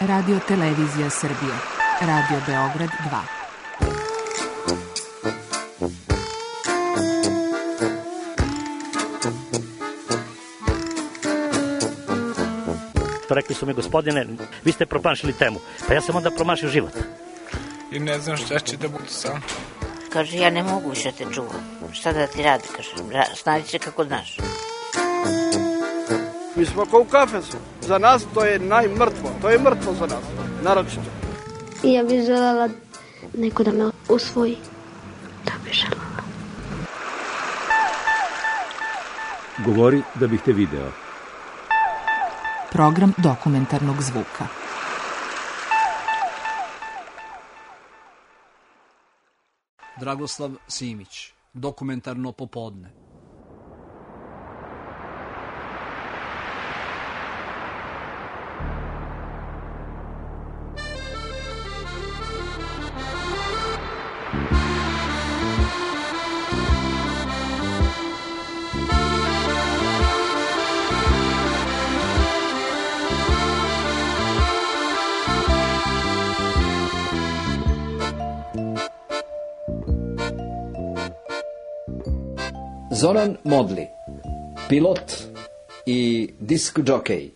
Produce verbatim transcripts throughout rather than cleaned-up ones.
Radio Televizija Srbije, Radio Beograd dva. Rekli su mi, gospodine, vi ste promašili temu. Pa ja sam onda promašio život. I ne znam šta će da bude sam. Kaže, ja ne mogu više te čuvam. Šta da ti radi, kaže, snađi se kako znaš. Mi smo kao u kafesu. Za nas to je najmrtvo. To je mrtvo za nas, naročito. Ja bih želela neko da me usvoji. Da bih želela. Govori da bih te video. Program dokumentarnog zvuka. Dragoslav Simić, dokumentarno popodne. Zoran Modli, pilot i disk džokej.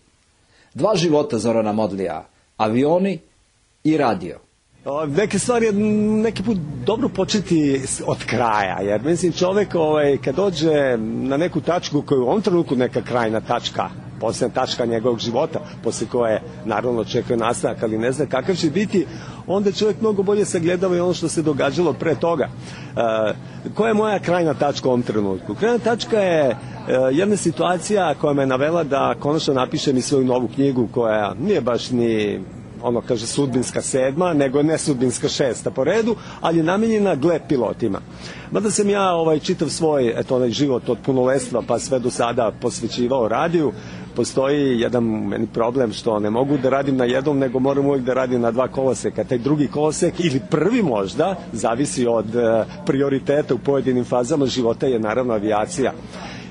Dva života Zorana Modlija, avioni i radio. Neke stvari je neki put dobro početi od kraja, jer mislim čovjek ovaj, kad dođe na neku tačku koju u ovom trenutku neka krajna tačka, posljedna tačka njegovog života, poslije koje naravno očekuje nastavak, ali ne zna kakav će biti, onda čovjek mnogo bolje sagledava i ono što se događalo pre toga. E, koja je moja krajna tačka u ovom trenutku? Krajna tačka je e, jedna situacija koja me navela da konačno napišem i svoju novu knjigu koja nije baš ni ono kaže sudbinska sedma, nego ne sudbinska šesta po redu, ali je namenjena gle pilotima. Mada sam ja ovaj, čitav svoj eto, onaj život od punoletstva pa sve do sada posvećivao radiju, postoji jedan meni problem što ne mogu da radim na jednom, nego moram uvijek da radim na dva koloseka. Taj drugi kolosek ili prvi možda, zavisi od e, prioriteta u pojedinim fazama života, je naravno avijacija.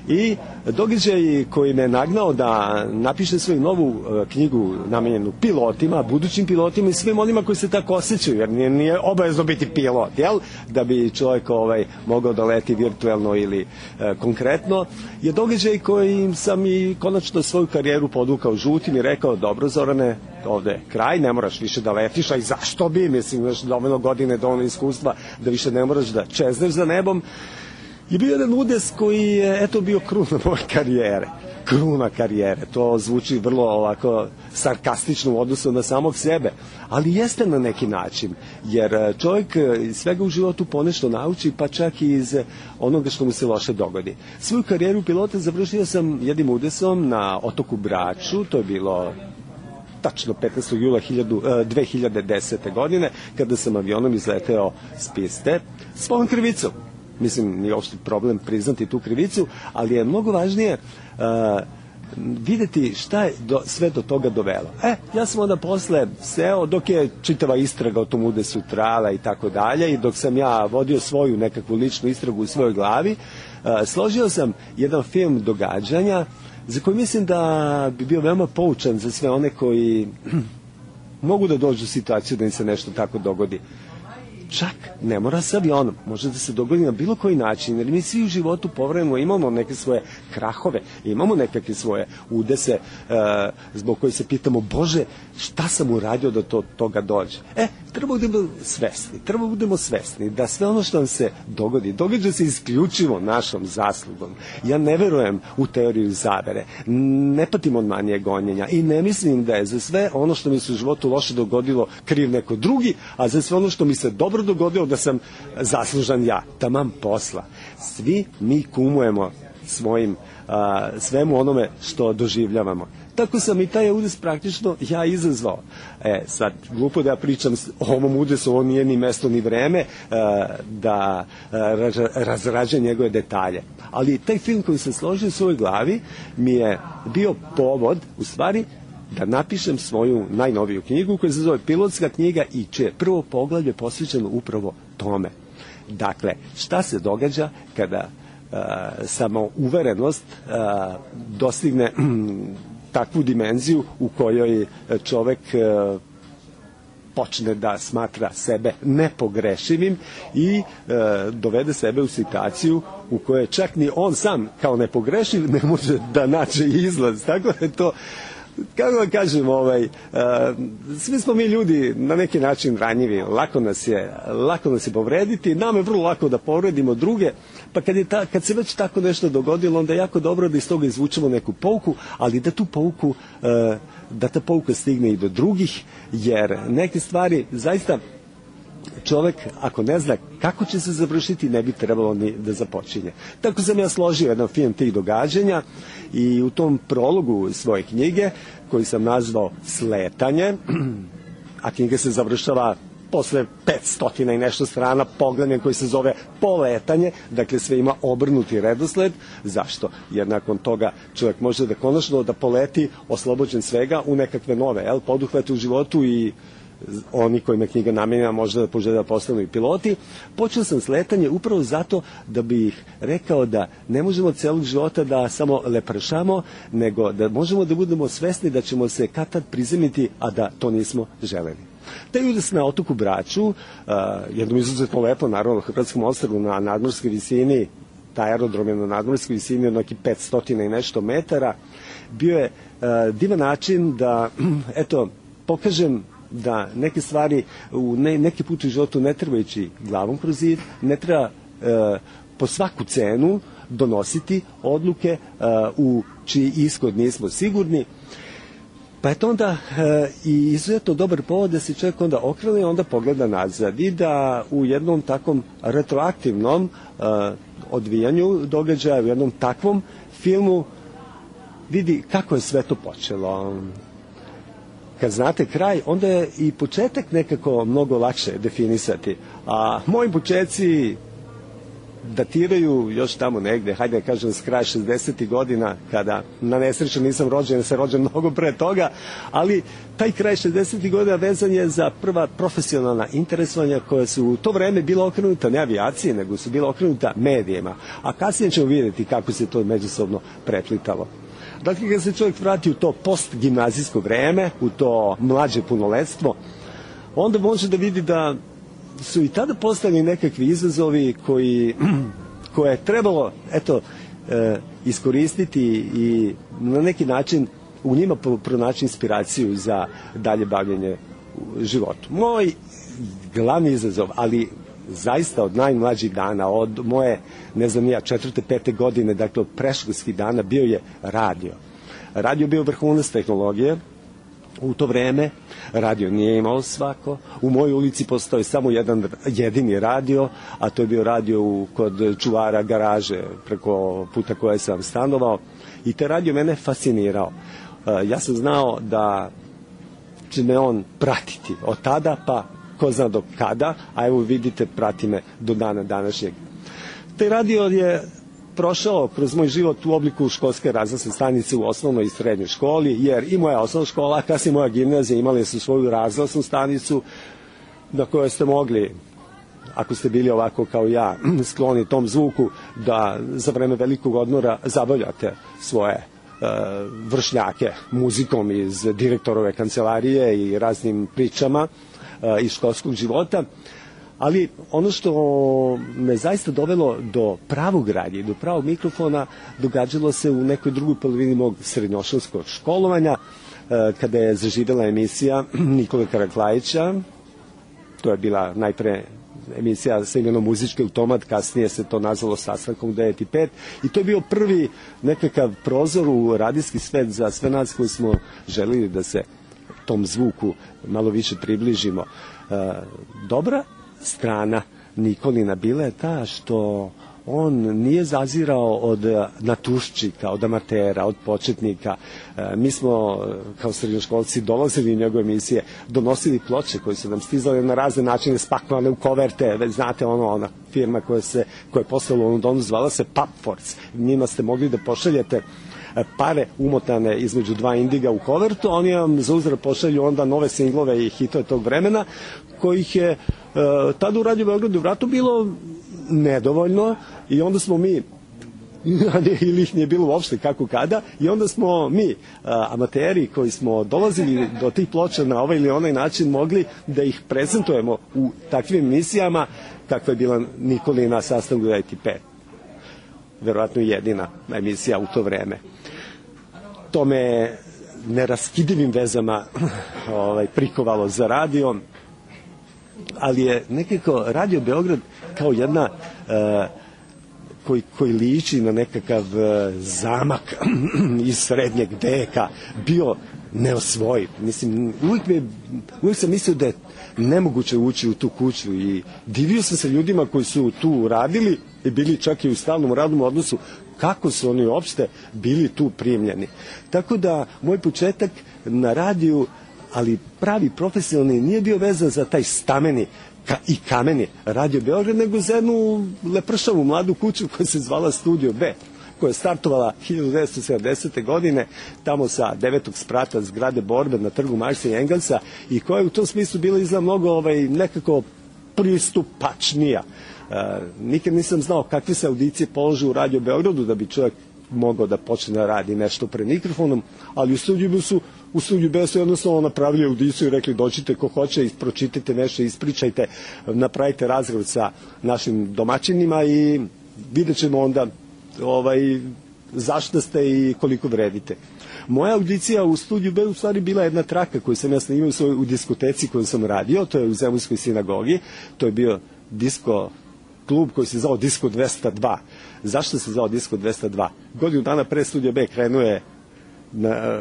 I događaj koji me nagnao da napišem svoju novu e, knjigu namenjenu pilotima, budućim pilotima i svim onima koji se tako osjećaju, jer nije, nije obavezno biti pilot, jel? Da bi čovjek ovaj, mogao da leti virtuelno ili e, konkretno, je događaj koji sam i konačno svoju karijeru podukao žutim i rekao, dobro Zorane, ovde je kraj, ne moraš više da letiš, a i zašto bi, mislim, imaš dovoljno godine, dovoljno iskustva da više ne moraš da čezneš za nebom. Je bio jedan udes koji je, eto, bio kruna moje karijere. Kruna karijere. To zvuči vrlo ovako sarkastično u odnosu na samog sebe. Ali jeste na neki način. Jer čovjek iz svega u životu ponešto nauči, pa čak i iz onoga što mu se loše dogodi. Svoju karijeru pilota završio sam jednim udesom na otoku Braču. To je bilo tačno petnaestog jula dve hiljade desete. godine, kada sam avionom izleteo s piste svojom krivicom. Mislim, nije uopšte problem priznati tu krivicu, ali je mnogo važnije uh, vidjeti šta je do, sve do toga dovelo. E, ja sam onda posle seo, dok je čitava istraga o tom udesu trajala i tako dalje, i dok sam ja vodio svoju nekakvu ličnu istragu u svojoj glavi, uh, složio sam jedan film događanja za koji mislim da bi bio veoma poučan za sve one koji mogu da dođu u situaciju da im se nešto tako dogodi. Čak ne mora sa avionom, može da se dogodi na bilo koji način, jer mi svi u životu povremeno imamo neke svoje krahove, imamo nekakve svoje udese e, zbog koji se pitamo, Bože, šta sam uradio da to toga dođe? E, treba budemo svesni, treba budemo svesni da sve ono što nam se dogodi, događa se isključivo našom zaslugom. Ja ne verujem u teoriju zavere, ne patim od manije gonjenja i ne mislim da je za sve ono što mi se u životu loše dogodilo kriv neko drugi, a za sve ono što mi se dobro dogodilo da sam zaslužan ja. Taman posla. Svi mi kumujemo svojim a, svemu onome što doživljavamo. Tako sam i taj udes praktično ja izazvao. E, sad, glupo da ja pričam o ovom udesu, ovo nije ni mesto ni vreme a, da a, razrađam njegove detalje. Ali taj film koji sam složio u svojoj glavi mi je bio povod, u stvari, da napišem svoju najnoviju knjigu koja se zove Pilotska knjiga i čije prvo poglavlje posvećeno upravo tome. Dakle, šta se događa kada uh, samouverenost uh, dostigne takvu dimenziju u kojoj čovek uh, počne da smatra sebe nepogrešivim i e, dovede sebe u situaciju u kojoj čak ni on sam kao nepogrešiv ne može da nađe izlaz. Tako da je to, kako da kažem, ovaj, uh, svi smo mi ljudi na neki način ranjivi, lako nas je, lako nas je povrediti, nam je vrlo lako da povredimo druge, pa kad, je ta, kad se već tako nešto dogodilo, onda je jako dobro da iz toga izvučemo neku pouku, ali da tu pouku, uh, da ta pouka stigne i do drugih, jer neke stvari zaista čovek, ako ne zna kako će se završiti, ne bi trebalo ni da započinje. Tako sam ja složio jedan film tih događanja i u tom prologu svoje knjige, koji sam nazvao Sletanje, a knjiga se završava posle petstotina i nešto strana poglavljem koji se zove Poletanje, dakle sve ima obrnuti redosled. Zašto? Jer nakon toga čovjek može da konačno da poleti oslobođen svega u nekakve nove, jel, poduhvate u životu i oni kojima je knjiga namenjena možda da požele da postanu i piloti. Počeo sam sletanje upravo zato da bih rekao da ne možemo celog života da samo lepršamo, nego da možemo da budemo svesni da ćemo se kad tad prizemiti, a da to nismo želeli. Taj udes na otoku Braču, uh, jednom izuzetno lepo, naravno, u Hrvatskom ostrvu na nadmorskoj visini, taj aerodrom je na nadmorskoj visini od nekih petsto i nešto metara, bio je uh, divan način da, eto, pokažem da neke stvari u ne, neki put u životu ne treba ići glavom kroz zid, ne treba e, po svaku cenu donositi odluke e, u čiji ishod nismo sigurni. Pa je to onda e, i izuzetno dobar povod da se čovjek onda okrene i onda pogleda nazad i da u jednom takvom retroaktivnom e, odvijanju događaja, u jednom takvom filmu vidi kako je sve to počelo. Kad znate kraj, onda je i početak nekako mnogo lakše definisati. A moji početci datiraju još tamo negde, hajde da kažem, s kraja šezdesetih godina, kada na nesreću nisam rođen, ja sam rođen mnogo pre toga, ali taj kraj šezdesetih godina vezan je za prva profesionalna interesovanja koja su u to vreme bila okrenuta ne avijaciji, nego su bila okrenuta medijima. A kasnije ćemo vidjeti kako se to međusobno preplitalo. Dakle, kad se čovjek vrati u to postgimnazijsko vreme, u to mlađe punoletstvo, onda može da vidi da su i tada postali nekakvi izazovi koji, koje je trebalo, eto, e, iskoristiti i na neki način u njima pronaći inspiraciju za dalje bavljenje u životu. Moj glavni izazov, ali zaista od najmlađih dana, od moje, ne znam ja, četvrte, pete godine, dakle od predškolskih dana, bio je radio. Radio bio vrhunac tehnologije u to vreme, radio nije imao svako. U mojoj ulici postoji samo jedan jedini radio, a to je bio radio u, kod čuvara garaže preko puta koje sam stanovao, i te radio mene fascinirao. Ja sam znao da će me on pratiti od tada pa ko zna do kada, a evo vidite, prati me do dana današnjeg. Taj radio je prošao kroz moj život u obliku školske razglasne stanice u osnovnoj i srednjoj školi, jer i moja osnovna škola, a kasnije moja gimnazija imali su svoju razglasnu stanicu na kojoj ste mogli, ako ste bili ovako kao ja, skloni tom zvuku, da za vreme velikog odmora zabavljate svoje e, vršnjake muzikom iz direktorove kancelarije i raznim pričama e, iz školskog života. Ali ono što me zaista dovelo do pravog radnje, do pravog mikrofona, događalo se u nekoj drugoj polovini mog srednjoškolskog školovanja, kada je zaživjela emisija Nikole Karaklajića. To je bila najpre emisija sa imenom Muzički automat, kasnije se to nazvalo Sastankom u devet i pet, i to je bio prvi nekakav prozor u radijski svet za sve nas koji smo želili da se tom zvuku malo više približimo. Dobra strana Nikolina bila je ta što on nije zazirao od natuščika, od amatera, od početnika. E, mi smo kao srednjoškolci dolazili u njegove emisije, donosili ploče koje su nam stizale na razne načine, spakovane u koverte, već znate, ono, ona firma koja, se, koja je poslala u Londonu, zvala se Papfords. Njima ste mogli da pošaljete pare umotane između dva indiga u kovertu, oni vam za uzvrat pošalju onda nove singlove i hitove tog vremena, kojih je e, tada u Radio Beogradu vratu bilo nedovoljno, i onda smo mi ili ih nije bilo uopšte kako kada, i onda smo mi, a, amateri koji smo dolazili do tih ploča na ovaj ili onaj način, mogli da ih prezentujemo u takvim emisijama kakva je bila Nikolina sastav u E T P. Verovatno jedina emisija u to vreme. To me neraskidivim vezama ovaj, prikovalo za radio, ali je nekako Radio Beograd kao jedna uh, koji, koji liči na nekakav uh, zamak iz srednjeg veka bio neosvojiv. Mislim, uvijek, me, uvijek sam mislio da je nemoguće ući u tu kuću i divio sam se ljudima koji su tu radili i bili čak i u stalnom radnom odnosu, kako su oni uopšte bili tu primljeni. Tako da moj početak na radiju, ali pravi profesionalni, nije bio vezan za taj stameni ka, i kameni Radio Beograd, nego za jednu lepršavu mladu kuću koja se zvala Studio B, koja je startovala hiljadu devetsto sedamdesete. godine tamo sa devetog sprata zgrade Borbe na trgu Marksa i Engelsa, i koja je u tom smislu bila izgleda mnogo ovaj, nekako pristupačnija. Uh, nikad nisam znao kakve se audicije polože u Radio Beogradu da bi čovjek mogao da počne da radi nešto pred mikrofonom, ali u studiju su u studiju B su jednostavno napravili audiciju i rekli dođite ko hoće, pročitajte nešto, ispričajte, napravite razgovor sa našim domaćinima i vidjet ćemo onda ovaj, zašto ste i koliko vredite. Moja audicija u studiju B u stvari bila jedna traka koju sam ja snimao u diskoteci koju sam radio, to je u Zemunskoj sinagogi, to je bio disko klub koji se zvao Disko dvesta dva. Zašto se zvao Disko dvesta dva? Godinu dana pre Studio B krenuo je na,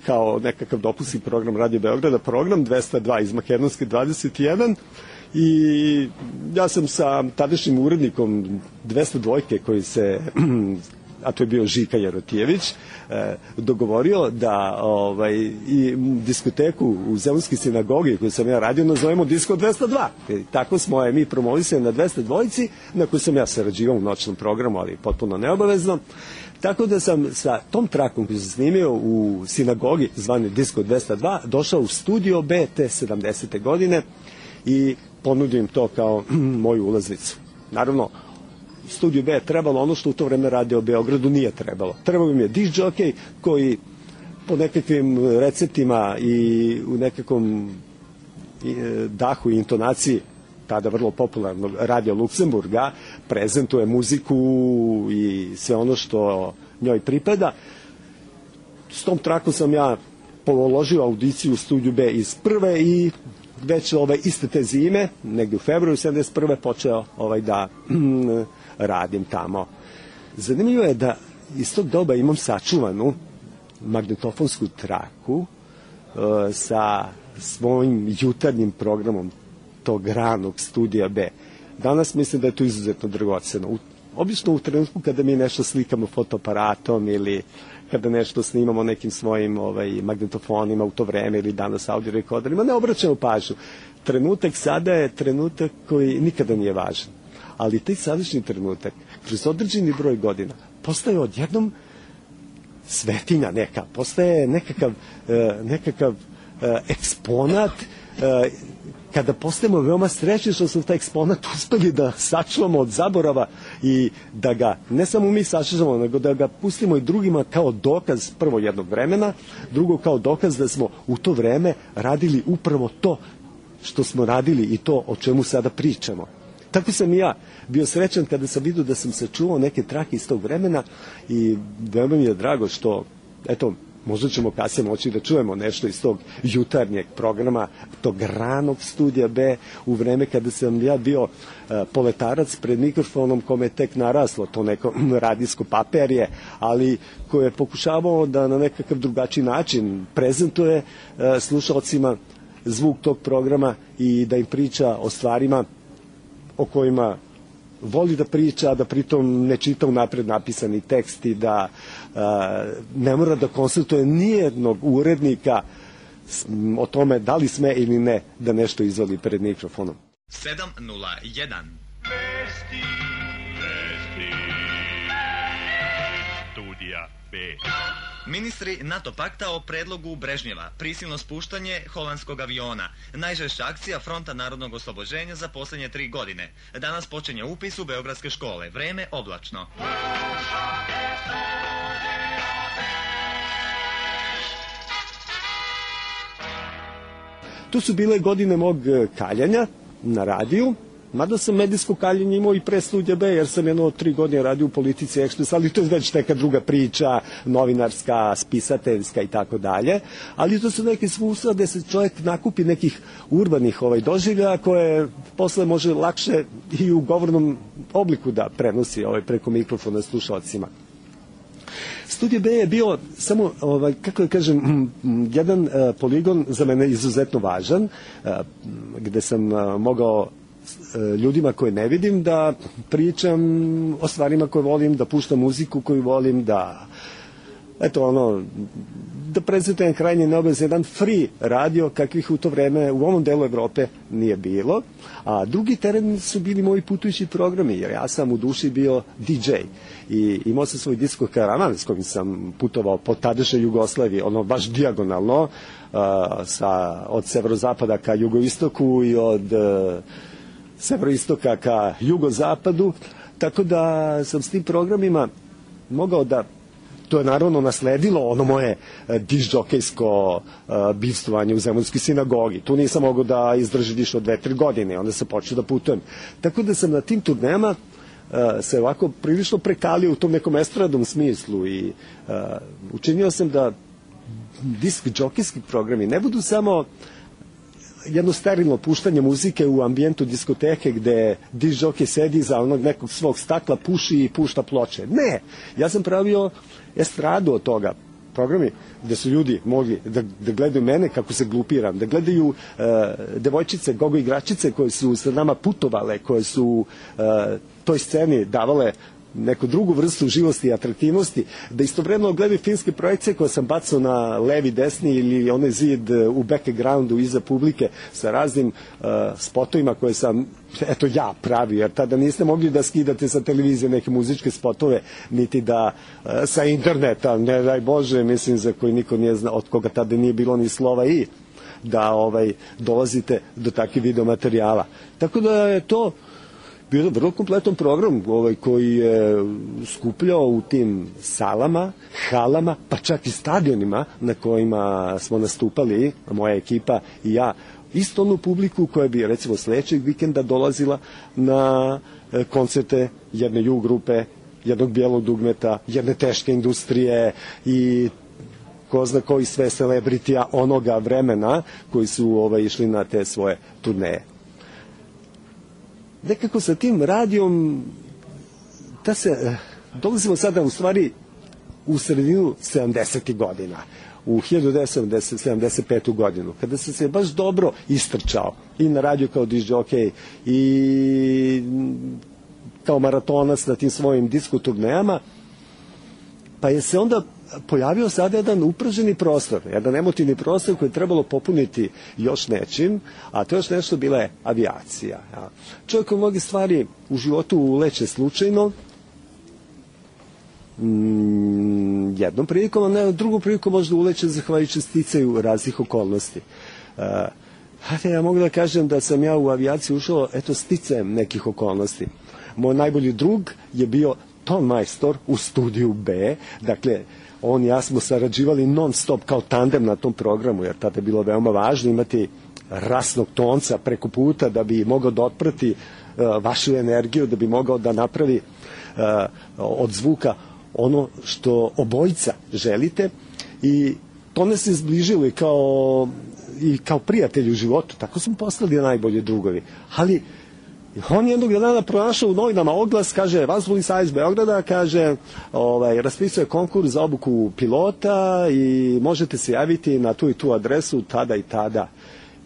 kao nekakav dopusni program Radio Beograda, program dvesta dva iz Makedonske dvadeset jedan, i ja sam sa tadašnjim urednikom dvesta dva koji se, a to je bio Žika Jerotijević, dogovorio da ovaj, i diskoteku u Zemunskoj sinagogi koju sam ja radio nazovemo Disko dvesta dva. I tako smo je mi promovisali na dvesta dva, na koju sam ja sarađivao u noćnom programu, ali potpuno neobavezno. Tako da sam sa tom trakom koju sam snimio u sinagogi zvane Disko dvesta dva došao u Studio B te sedamdesete. godine i ponudio im to kao moju ulaznicu. Naravno, Studio B je trebalo ono što u to vreme Radio Beogradu nije trebalo. Trebalo im je disc jockey koji po nekakvim receptima i u nekakvom dahu i intonaciji tada vrlo popularnog Radio Luksemburga prezentuje muziku i sve ono što njoj pripada. S tom trakom sam ja položio audiciju u Studiju B iz prve i već ove iste te zime, negdje u februaru sedamdeset prve počeo ovaj da mm, radim tamo. Zanimljivo je da iz tog doba imam sačuvanu magnetofonsku traku uh, sa svojim jutarnjim programom tog ranog Studija B. Danas mislim da je to izuzetno dragoceno. U, obično u trenutku kada mi nešto slikamo fotoaparatom ili kada nešto snimamo nekim svojim ovaj, magnetofonima u to vreme ili danas audio rekorderima, ne obraćamo pažnju. Trenutak sada je trenutak koji nikada nije važan. Ali taj sadašnji trenutak, kroz određeni broj godina, postaje odjednom svetinja neka, postaje nekakav, nekakav eksponat, kada postajemo veoma srećni što smo taj eksponat uspeli da sačuvamo od zaborava i da ga ne samo mi sačuvamo, nego da ga pustimo i drugima kao dokaz prvo jednog vremena, drugo kao dokaz da smo u to vreme radili upravo to što smo radili i to o čemu sada pričamo. Tako sam i ja bio srećan kada sam vidio da sam sačuvao neke trake iz tog vremena i veoma mi je drago što, eto, možda ćemo kasnije moći da čujemo nešto iz tog jutarnjeg programa, tog ranog Studija B, u vreme kada sam ja bio uh, poletarac pred mikrofonom kome je tek naraslo to neko radijsko paperje, ali koje je pokušavao da na nekakav drugačiji način prezentuje uh, slušalcima zvuk tog programa i da im priča o stvarima o kojima voli da priča, a da pritom ne čita unapred napisani tekst i da a, ne mora da konsultuje nijednog urednika o tome da li sme ili ne da nešto izvoli pred mikrofonom. sedam nula jedan Vesti, vesti, Studija B. Ministri NATO pakta o predlogu Brežnjeva, prisilno spuštanje holandskog aviona, najžešća akcija Fronta narodnog oslobođenja za posljednje tri godine. Danas počinje upis u beogradske škole, vreme oblačno. To su bile godine mog kaljanja na radiju, mada sam medijsko kaljenje imao i pre Studija B, jer sam jedno tri godine radio u Politici Ekspres, ali to je već neka druga priča, novinarska, spisateljska i tako dalje, ali to su neke svojstva gde se čovjek nakupi nekih urbanih ovaj, doživljaja koje posle može lakše i u govornom obliku da prenosi ovaj, preko mikrofona slušalcima. Studij B je bio samo, ovaj, kako da kažem, jedan uh, poligon za mene izuzetno važan, uh, gde sam uh, mogao uh, ljudima koje ne vidim da pričam o stvarima koje volim, da puštam muziku koju volim, da eto ono, da prezentujem krajnje neobavezan jedan free radio kakvih u to vreme u ovom delu Evrope nije bilo, a drugi teren su bili moji putujući programi, jer ja sam u duši bio D J i imao sam svoj disko karavan s kojim sam putovao po tadašnjoj Jugoslaviji, ono baš dijagonalno, uh, sa, od severozapada ka jugoistoku i od uh, severoistoka ka jugozapadu, tako da sam s tim programima mogao da, to je naravno nasledilo ono moje diždžokejsko uh, bivstvovanje u Zemunskoj sinagogi. Tu nisam mogao da izdržim više od dve, tri godine, onda sam počeo da putujem. Tako da sam na tim turnejama uh, se ovako prilično prekalio u tom nekom estradnom smislu i uh, učinio sam da disk džokejski programi ne budu samo jedno sterilno puštanje muzike u ambijentu diskoteke gde disk džokej sedi za onog nekog svog stakla, puši i pušta ploče. Ne, ja sam pravio estradu od toga, programi gde su ljudi mogli da, da gledaju mene kako se glupiram, da gledaju uh, devojčice, gogo igračice koje su sa nama putovale, koje su uh, toj sceni davale neku drugu vrstu živosti i atraktivnosti, da istovremeno gledaju filmske projekcije koje sam bacao na levi, desni ili onaj zid u backgroundu iza publike sa raznim uh, spotovima koje sam eto ja pravio, jer tada niste mogli da skidate sa televizije neke muzičke spotove, niti da uh, sa interneta, ne daj Bože, mislim za koji niko nije znao, od koga tada nije bilo ni slova i da ovaj dolazite do takvih videomaterijala. Tako da je to bio vrlo kompletan program ovaj, koji je skupljao u tim salama, halama, pa čak i stadionima na kojima smo nastupali, moja ekipa i ja, isto onu publiku koja bi recimo sledećeg vikenda dolazila na koncerte jedne ju grupe, jednog bijelog dugmeta, jedne teške industrije i ko zna koji sve celebritija onoga vremena koji su ovaj, išli na te svoje turneje. Nekako sa tim radijom da se, dolazimo sada u stvari u sredinu sedamdesetih godina, u hiljadu devetsto sedamdeset petu godinu, kada sam se baš dobro istrčao i na radiju kao diždžokej i kao maratonac na tim svojim disko turnejama, pa je se onda pojavio sada jedan uprženi prostor, jedan emotivni prostor koji je trebalo popuniti još nečim, a to još nešto bila je avijacija. Ja. Čovjek u mnogi stvari u životu uleće slučajno, mm, jednom prilikom, a ne drugom prilikom možda uleće zahvaljujući sticaju raznih okolnosti. Uh, ja mogu da kažem da sam ja u avijaciju ušao, eto, sticajem nekih okolnosti. Moj najbolji drug je bio ton majstor u Studiju B, dakle, on i ja smo sarađivali non stop kao tandem na tom programu, jer tada je bilo veoma važno imati rasnog tonca preko puta da bi mogao da otprati uh, vašu energiju, da bi mogao da napravi uh, od zvuka ono što obojica želite i to nas je zbližilo i kao, i kao prijatelji u životu, tako smo postali najbolji drugovi, ali on jednog dana pronašao u novinama oglas, kaže, Vazdušni savez Beograda, kaže, ovaj, raspisuje konkurs za obuku pilota i možete se javiti na tu i tu adresu tada i tada.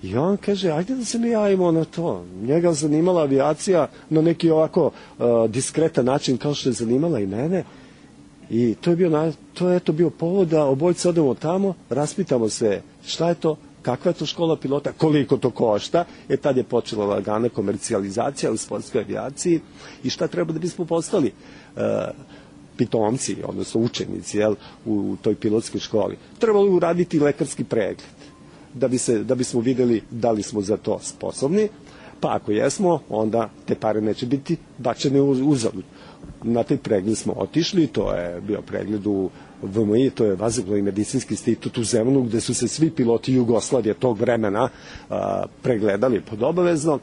I on kaže, ajde da se mi javimo na to. Njega zanimala avijacija na neki ovako uh, diskretan način kao što je zanimala i mene. I to je bio, to je eto bio povod da obojica odemo tamo, raspitamo se šta je to, kakva je to škola pilota, koliko to košta, jer tad je počela lagana komercijalizacija u sportskoj avijaciji i šta treba da bismo postali. Uh, pitomci, odnosno učenici, jel, u toj pilotskoj školi, trebali uraditi lekarski pregled, da bi se, da bismo videli da li smo za to sposobni, pa ako jesmo, onda te pare neće biti bačene uzalud. Na taj pregled smo otišli, to je bio pregled u V M I, to je Vazduhoplovni medicinski institut u Zemunu, gde su se svi piloti Jugoslavije tog vremena a, pregledali pod obavezno.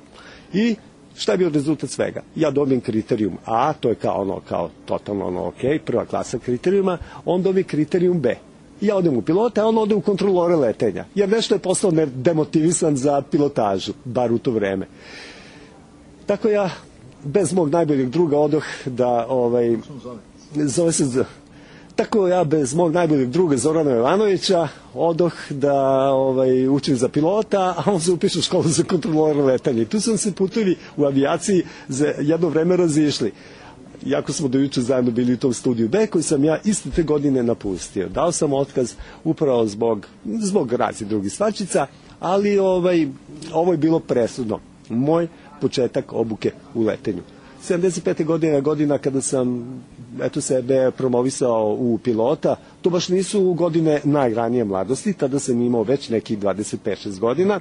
I šta je bio rezultat svega? Ja dobijem kriterijum A, to je kao ono, kao totalno ono ok, prva klasa kriterijuma, on dobije kriterijum B. Ja odem u pilota, a on ode u kontrolore letenja, jer nešto je postao demotivisan za pilotažu, bar u to vreme. Tako ja, bez mog najboljeg druga, odoh da, ovaj, zove se, tako ja bez mog najboljeg druga Zorana Jovanovića odoh da ovaj, učim za pilota, a on se upiše u školu za kontrolore letanja. I tu sam se putovi u avijaciji za jedno vreme razišli. Jako smo do juče zajedno bili u tom studiju B, koji sam ja iste te godine napustio. Dao sam otkaz upravo zbog, zbog raznih drugih stvačica, ali ovaj, ovo je bilo presudno. Moj početak obuke u letenju. sedamdeset pete godine godina kada sam eto sebe promovisao u pilota, to baš nisu godine najranije mladosti, tada sam imao već nekih dvadeset pet šest godina,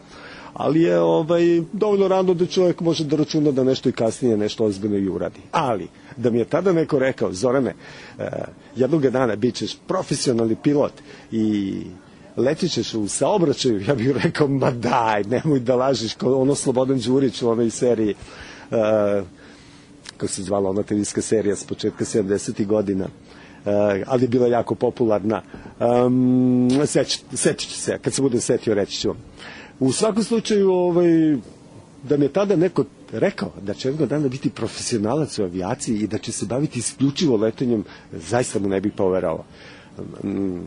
ali je ovaj, dovoljno rano da čovjek može da računa da nešto i kasnije nešto ozbiljno i uradi. Ali, da mi je tada neko rekao, Zorane, eh, jednog dana bit ćeš profesionalni pilot i letit ćeš u saobraćaju, ja bih rekao, ma daj, nemoj da lažiš, kao ono Slobodan Đurić u onoj seriji, eh, kako se zvala ona televizijska serija s početka sedamdesetih godina, uh, ali je bila jako popularna. Um, setit ću se, kad se budem setio reći ću vam. U svakom slučaju, ovaj, da mi je tada neko rekao da će jednog dana biti profesionalac u avijaciji i da će se baviti isključivo letenjem, zaista mu ne bih poverao. Um,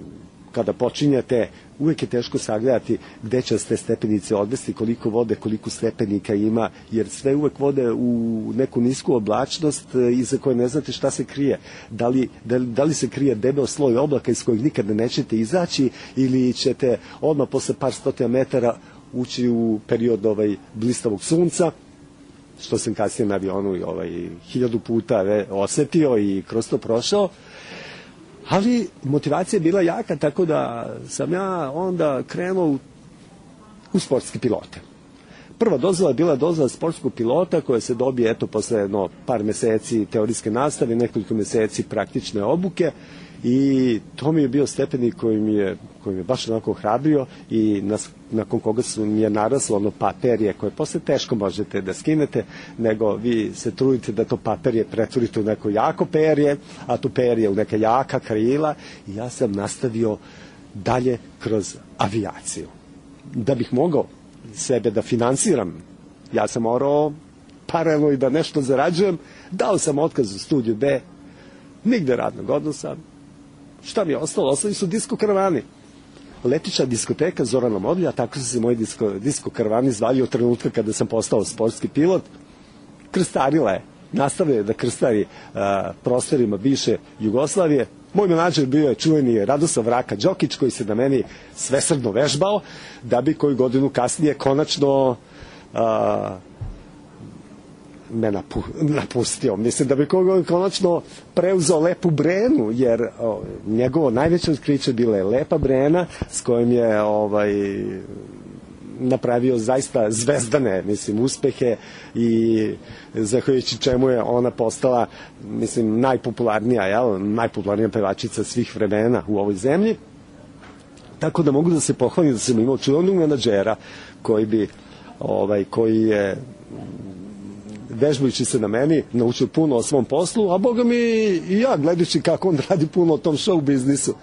kada počinjate, uvek je teško sagledati gde će ste stepenice odvesti, koliko vode, koliko stepenika ima, jer sve uvek vode u neku nisku oblačnost iza koje ne znate šta se krije. Da li, da, da li se krije debel sloj oblaka iz kojeg nikada nećete izaći, ili ćete odmah posle par stotina metara ući u period ovaj, blistavog sunca, što sam kasnije na avionu ovaj, hiljadu puta ve, osetio i kroz to prošao. Ali motivacija je bila jaka, tako da sam ja onda krenuo u, u sportske pilote. Prva dozvola je bila dozvola sportskog pilota koja se dobije eto posle jedno par meseci teorijske nastave, nekoliko meseci praktične obuke, i to mi je bio stepenik koji mi je, koji mi je baš onako hrabrio i nas, nakon koga su mi je naraslo ono paperje koje posle teško možete da skinete, nego vi se trudite da to paperje pretvorite u neko jako perje, a to perje u neka jaka krila, i ja sam nastavio dalje kroz avijaciju. Da bih mogao sebe da finansiram, ja sam morao paralelno i da nešto zarađujem, dao sam otkaz u studiju B, nigde radnog odnosa. Šta mi je ostalo? Ostali su disko karavani. Letiča diskoteka Zorana Modlija, tako su se moji disko, disko karavani zvali od trenutka kada sam postao sportski pilot. Krstarila je, nastavio je da krstari a, prostorima bivše Jugoslavije. Moj menadžer bio je čuveni Radoslav Vraka Đokić, koji se na meni svesrdno vežbao, da bi koju godinu kasnije konačno a, me napu, napustio. Mislim da bi konačno preuzeo Lepu Brenu, jer o, njegovo najveće otkriće bila je Lepa Brena, s kojim je ovaj, napravio zaista zvezdane, mislim, uspehe, i zahvaljujući čemu je ona postala, mislim, najpopularnija, jel, najpopularnija pevačica svih vremena u ovoj zemlji. Tako da mogu da se pohvalim da sam imao čuvenog menadžera koji bi, ovaj, koji je vežbajući se na meni, naučio puno o svom poslu, a boga mi i ja, gledajući kako on radi puno o tom show biznisu.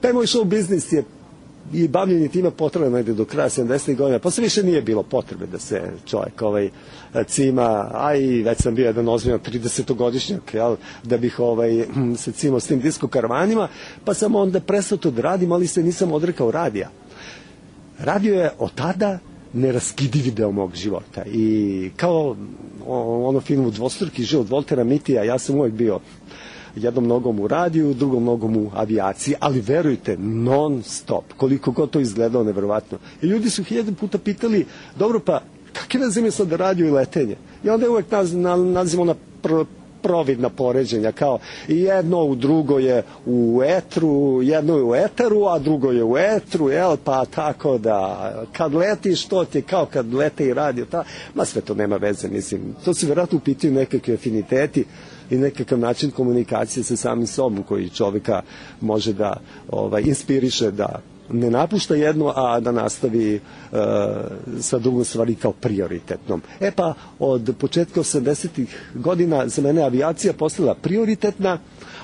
Taj moj show biznis je i bavljenje time potrebno negde do kraja sedamdesetih godina, posle više nije bilo potrebe da se čovjek ovaj, cima, a i već sam bio jedan ozbiljan tridesetogodišnjak, jel, da bih ovaj, se cimao s tim disko karavanima, pa sam onda prestao to da radim, ali se nisam odrekao radija. Radio je od tada neraskidivi deo mog života, i kao ono filmu Dvostruki život Voltera Mitija, ja sam uvijek bio jednom nogom u radiju, drugom nogom u avijaciji, ali verujte, non stop, koliko god to izgledao neverovatno. I ljudi su hiljadu puta pitali, dobro, pa kakve veze ima sad radio i letenje? I onda je uvijek naz, na, nazivamo na pr, providna poređenja, kao jedno u drugo je u etru, jedno je u eteru, a drugo je u etru, jel, pa tako da kad letiš, to ti je kao kad lete i radio, ta, ma sve to nema veze, mislim, to se vjerojatno upitaju nekakve afiniteti i nekakav način komunikacije sa samim sobom koji čovjeka može da ovaj, inspiriše da ne napušta jedno, a da nastavi uh, sa drugom stvari kao prioritetnom. E pa, od početka osamdesetih godina za mene avijacija postala prioritetna,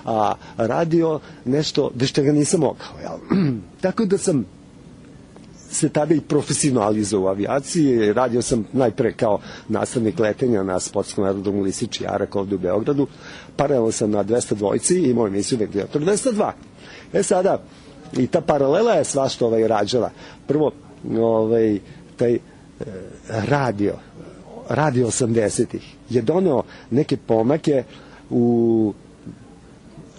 a radio nešto bez čega nisam mogao. Jel? Tako da sam se tada i profesionalizao u avijaciji. Radio sam najpre kao nastavnik letenja na sportskom aerodromu Lisič i Arak ovde u Beogradu. Paralelno sam na dvesta dvojci i imao emisiju Ventilator dvesta dva. E sada, i ta paralela je svašta ovaj rađala. Prvo, ovaj, taj e, radio, radio osamdesetih je doneo neke pomake u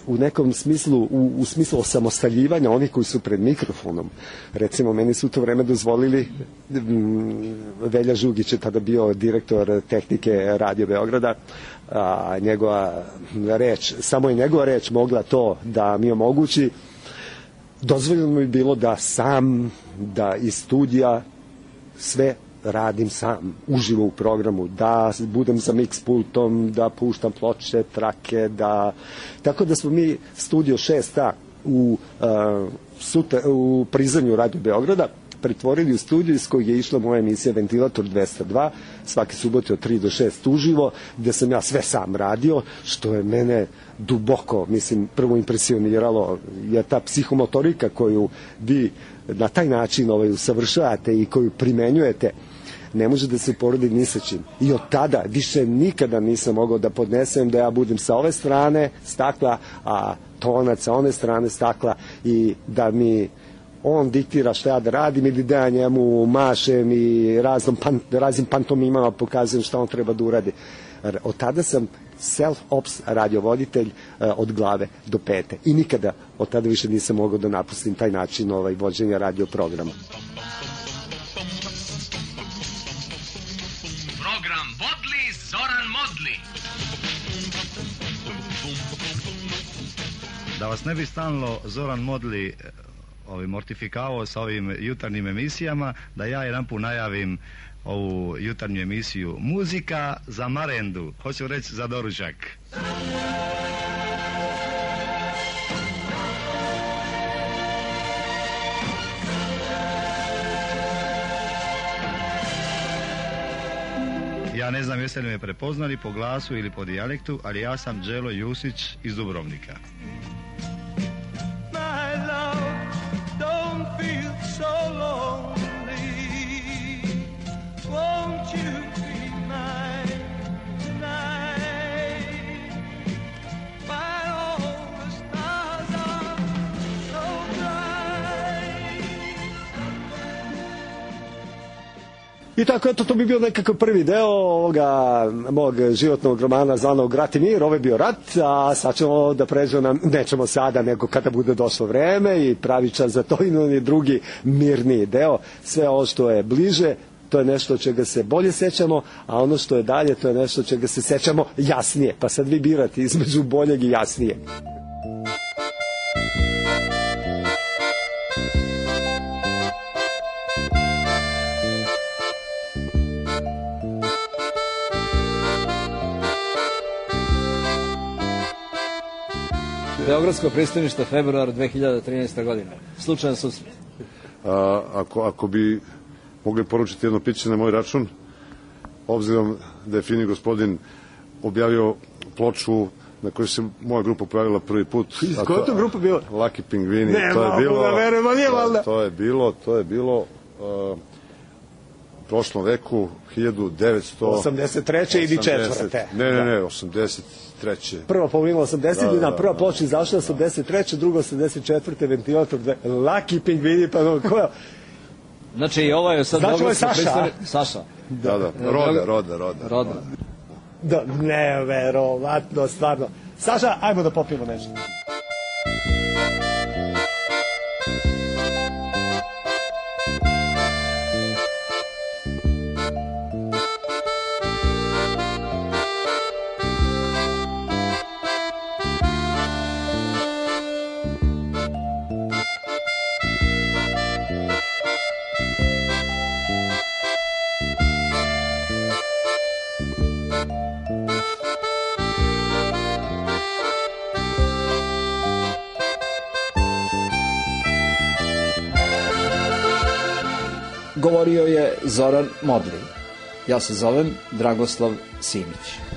u nekom smislu, u, u smislu osamostaljivanja onih koji su pred mikrofonom. Recimo, meni su u to vreme dozvolili, m, Velja Žugić je tada bio direktor tehnike Radio Beograda, a njegova reč, samo je njegova reč mogla to da mi omogući. Dozvoljeno mi je bilo da sam, da iz studija sve radim sam, uživo u programu, da budem za mix pultom, da puštam ploče, trake, da... Tako da smo mi studio šest A u, uh, sutra, u prizanju Radio Beograda pretvorili u studiju iz kojeg je išla moja emisija Ventilator dvesta dva, svake subote od tri do šest uživo, gde sam ja sve sam radio, što je mene duboko, mislim, prvo impresioniralo, je ta psihomotorika koju vi na taj način ovaj, usavršavate i koju primenjujete, ne može da se porodi ni sa čim. I od tada više nikada nisam mogao da podnesem da ja budem sa ove strane stakla, a Tonac sa one strane stakla i da mi on diktira šta ja da radim ili da ja njemu mašem i raznom pan, raznim pantomimama pokazujem šta on treba da uradi. Od tada sam self-ops radiovoditelj uh, od glave do pete. I nikada od tada više nisam mogao da napustim taj način ovaj, vođenja radio programa. Program vodili Zoran Modli. Da vas ne bi stalno Zoran Modli ovaj, mortifikavao sa ovim jutarnjim emisijama, da ja jedan put najavim ovu jutarnju emisiju Muzika za marendu, hoću reći za doručak. Ja ne znam jeste li me prepoznali po glasu ili po dijalektu, ali ja sam Đelo Jusić iz Dubrovnika. I tako, eto, to bi bio nekakav prvi deo ovoga mog životnog romana zvanog Rat i mir, ovo je bio rat, a sad ćemo da pređemo na, nećemo sada, nego kada bude došlo vreme i pravi čas za to i on je drugi mirniji deo. Sve ovo što je bliže, to je nešto čega se bolje sećamo, a ono što je dalje, to je nešto čega se sećamo jasnije. Pa sad vi birate između boljeg i jasnije. Beogradsko pristanište, februar dve hiljade trinaeste. godine. Slučajan susret. A, ako, ako bi mogli poručiti jedno piće na moj račun, obzirom da je fini gospodin objavio ploču na kojoj se moja grupa pojavila prvi put. Koja je to grupa bila? Lucky Pingvini. Ne, to je bilo, da verujemo, nije valjda. To, to je bilo, to je bilo uh, u prošlom veku hiljadu devetsto osamdeset treće ili četvrte. Ne, ne, ne, osamdeset treće. Prva polovina osamdeset, da, da, da, prva da, ploča izašla osamdeset treće, druga osamdeset četvrte. Ventilator, Lucky Pingvini, pa no, koja? Znači i ovo je sad... Znači ovo je Saša, pristani... Saša. Da, da, Roda, Roda, Roda. Roda. Da, neverovatno, stvarno. Saša, ajmo da popijemo nešto. govorio je Zoran Modli. Ja se zovem Dragoslav Simić.